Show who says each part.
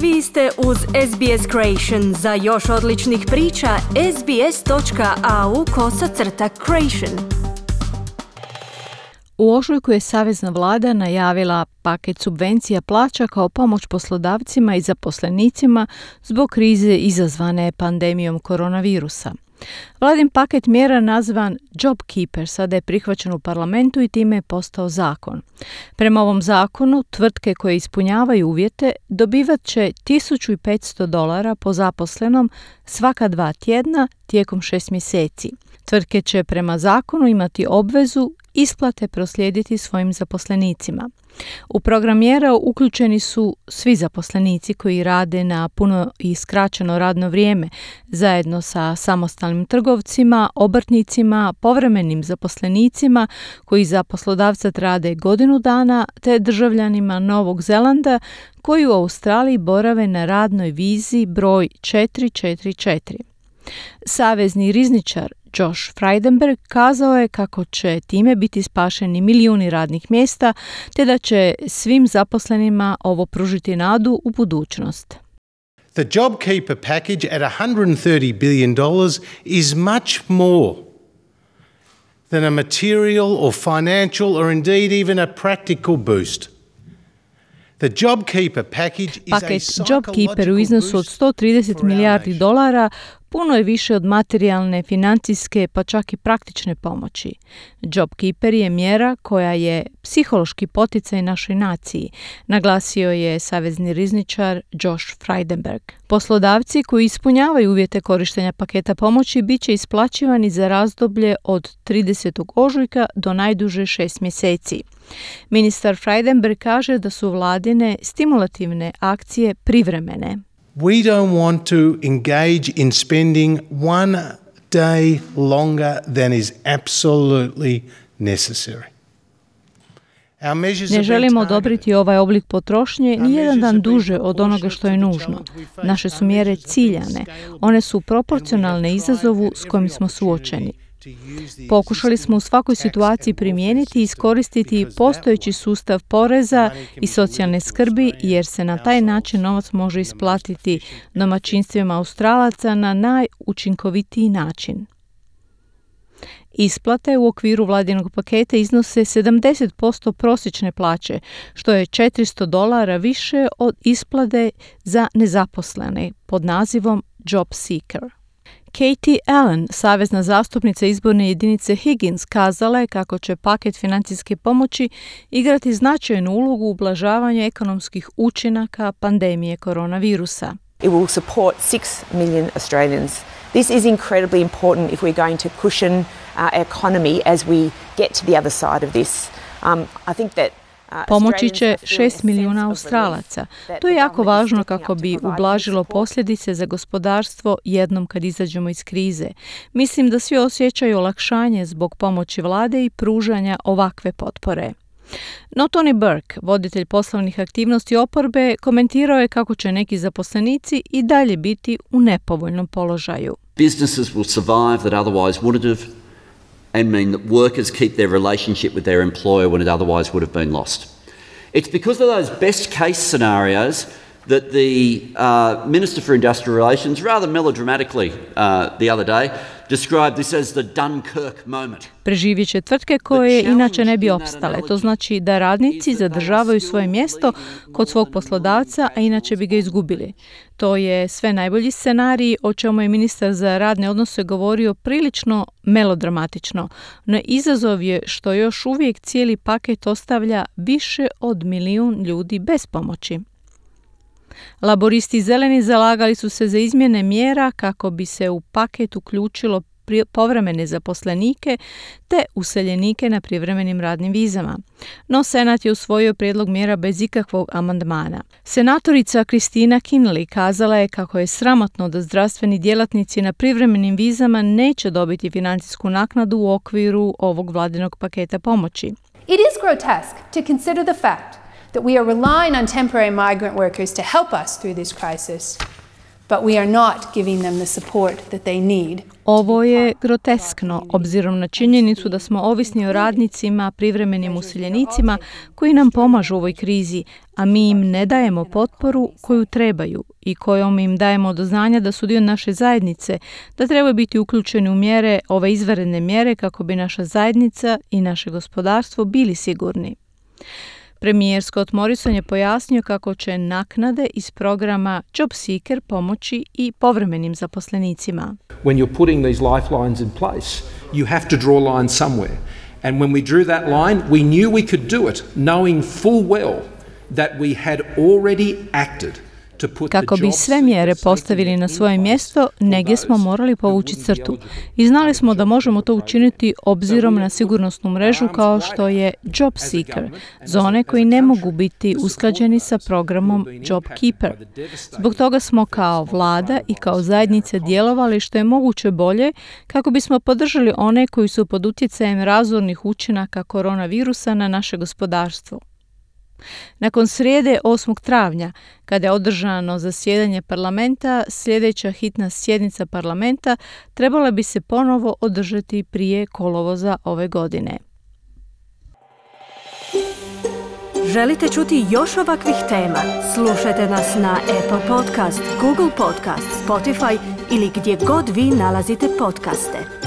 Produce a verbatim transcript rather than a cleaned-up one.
Speaker 1: Vi ste uz S B S Creation. Za još odličnih priča, sbs.au kosacrta creation.
Speaker 2: U ožujku je Savezna vlada najavila paket subvencija plaća kao pomoć poslodavcima i zaposlenicima zbog krize izazvane pandemijom koronavirusa. Vladin paket mjera nazvan Job Keeper sada je prihvaćen u parlamentu i time je postao zakon. Prema ovom zakonu, tvrtke koje ispunjavaju uvjete dobivat će tisuću petsto dolara po zaposlenom svaka dva tjedna tijekom šest mjeseci. Tvrtke će prema zakonu imati obvezu isplate proslijediti svojim zaposlenicima. U program mjera uključeni su svi zaposlenici koji rade na puno i skraćeno radno vrijeme, zajedno sa samostalnim trgovcima, obrtnicima, povremenim zaposlenicima koji za poslodavca rade godinu dana, te državljanima Novog Zelanda koji u Australiji borave na radnoj vizi broj četiri četiri četiri. Savezni rizničar Josh Frydenberg kazao je kako će time biti spašeni milijuni radnih mjesta, te da će svim zaposlenima ovo pružiti nadu u budućnost.
Speaker 3: The JobKeeper package at one hundred thirty billion dollars is much more than a material or financial or indeed even a practical boost. The JobKeeper package is
Speaker 2: Paket
Speaker 3: a
Speaker 2: JobKeeper u iznosu od sto trideset milijardi dolara puno je više od materijalne, financijske pa čak i praktične pomoći. JobKeeper je mjera koja je psihološki poticaj našoj naciji, naglasio je savezni rizničar Josh Frydenberg. Poslodavci koji ispunjavaju uvjete korištenja paketa pomoći bit će isplaćivani za razdoblje od tridesetog ožujka do najduže šest mjeseci. Ministar Frydenberg kaže da su vladine stimulativne akcije privremene.
Speaker 3: We don't want to engage in spending one day longer than is absolutely necessary.
Speaker 2: Ne želimo odobriti ovaj oblik potrošnje ni jedan dan duže od onoga što je nužno. Naše su mjere ciljane. One su proporcionalne izazovu s kojim smo suočeni. Pokušali smo u svakoj situaciji primijeniti i iskoristiti postojeći sustav poreza i socijalne skrbi jer se na taj način novac može isplatiti domaćinstvima Australaca na najučinkovitiji način. Isplate u okviru vladinog paketa iznose sedamdeset posto prosječne plaće, što je četiristo dolara više od isplate za nezaposlene pod nazivom Job Seeker. Katie Allen, savezna zastupnica izborne jedinice Higgins, kazala je kako će paket financijske pomoći igrati značajnu ulogu u ublažavanju ekonomskih učinaka pandemije koronavirusa.
Speaker 4: It will support six million Australians. This is incredibly important if we're going to cushion our economy as we get to the other side of this. Um, I think that
Speaker 2: Pomoći će šest milijuna Australaca. To je jako važno kako bi ublažilo posljedice za gospodarstvo jednom kad izađemo iz krize. Mislim da svi osjećaju olakšanje zbog pomoći vlade i pružanja ovakve potpore. No Tony Burke, voditelj poslovnih aktivnosti oporbe, komentirao je kako će neki zaposlenici i dalje biti u nepovoljnom položaju.
Speaker 5: Businesses will survive that otherwise wouldn't have, and mean that workers keep their relationship with their employer when it otherwise would have been lost. It's because of those best case scenarios that the uh, Minister for Industrial Relations rather melodramatically uh, the other day described this as the Dunkirk moment.
Speaker 2: Preživjet će tvrtke koje inače ne bi opstale. To znači da radnici zadržavaju svoje mjesto kod svog poslodavca, a inače bi ga izgubili. To je sve najbolji scenarij, o čemu je ministar za radne odnose govorio prilično melodramatično. No izazov je što još uvijek cijeli paket ostavlja više od milijun ljudi bez pomoći. Laboristi i zeleni zalagali su se za izmjene mjera kako bi se u paket uključilo povremene zaposlenike te useljenike na privremenim radnim vizama. No Senat je usvojio prijedlog mjera bez ikakvog amandmana. Senatorica Kristina Kinley kazala je kako je sramotno da zdravstveni djelatnici na privremenim vizama neće dobiti financijsku naknadu u okviru ovog vladinog paketa pomoći.
Speaker 6: It is grotesque to consider the fact that we are relying on temporary migrant workers to help us through this crisis, but we are not giving them the support that they need.
Speaker 2: Ovo je groteskno, obzirom na činjenicu da smo ovisni o radnicima, privremenim useljenicima koji nam pomažu u ovoj krizi, a mi im ne dajemo potporu koju trebaju i kojom im dajemo do znanja da su dio naše zajednice, da trebaju biti uključeni u mjere, ove izvanredne mjere kako bi naša zajednica i naše gospodarstvo bili sigurni. Premijer Scott Morrison je pojasnio kako će naknade iz programa Job Seeker pomoći i povremenim zaposlenicima.
Speaker 7: When you're putting these lifelines in place, you have to draw lines somewhere. And when we drew that line, we knew we could do it, knowing full well that we had already acted.
Speaker 2: Kako bi sve mjere postavili na svoje mjesto, negdje smo morali povući crtu. I znali smo da možemo to učiniti obzirom na sigurnosnu mrežu kao što je Job Seeker, za one koji ne mogu biti usklađeni sa programom Job Keeper. Zbog toga smo kao vlada i kao zajednice djelovali što je moguće bolje kako bismo podržali one koji su pod utjecajem razornih učinaka koronavirusa na naše gospodarstvo. Nakon srijede osmog travnja, kada je održano zasjedanje parlamenta, sljedeća hitna sjednica parlamenta trebala bi se ponovo održati prije kolovoza ove godine.
Speaker 1: Želite čuti još ovakvih tema? Slušajte nas na Apple Podcast, Google Podcast, Spotify ili gdje god vi nalazite podcaste.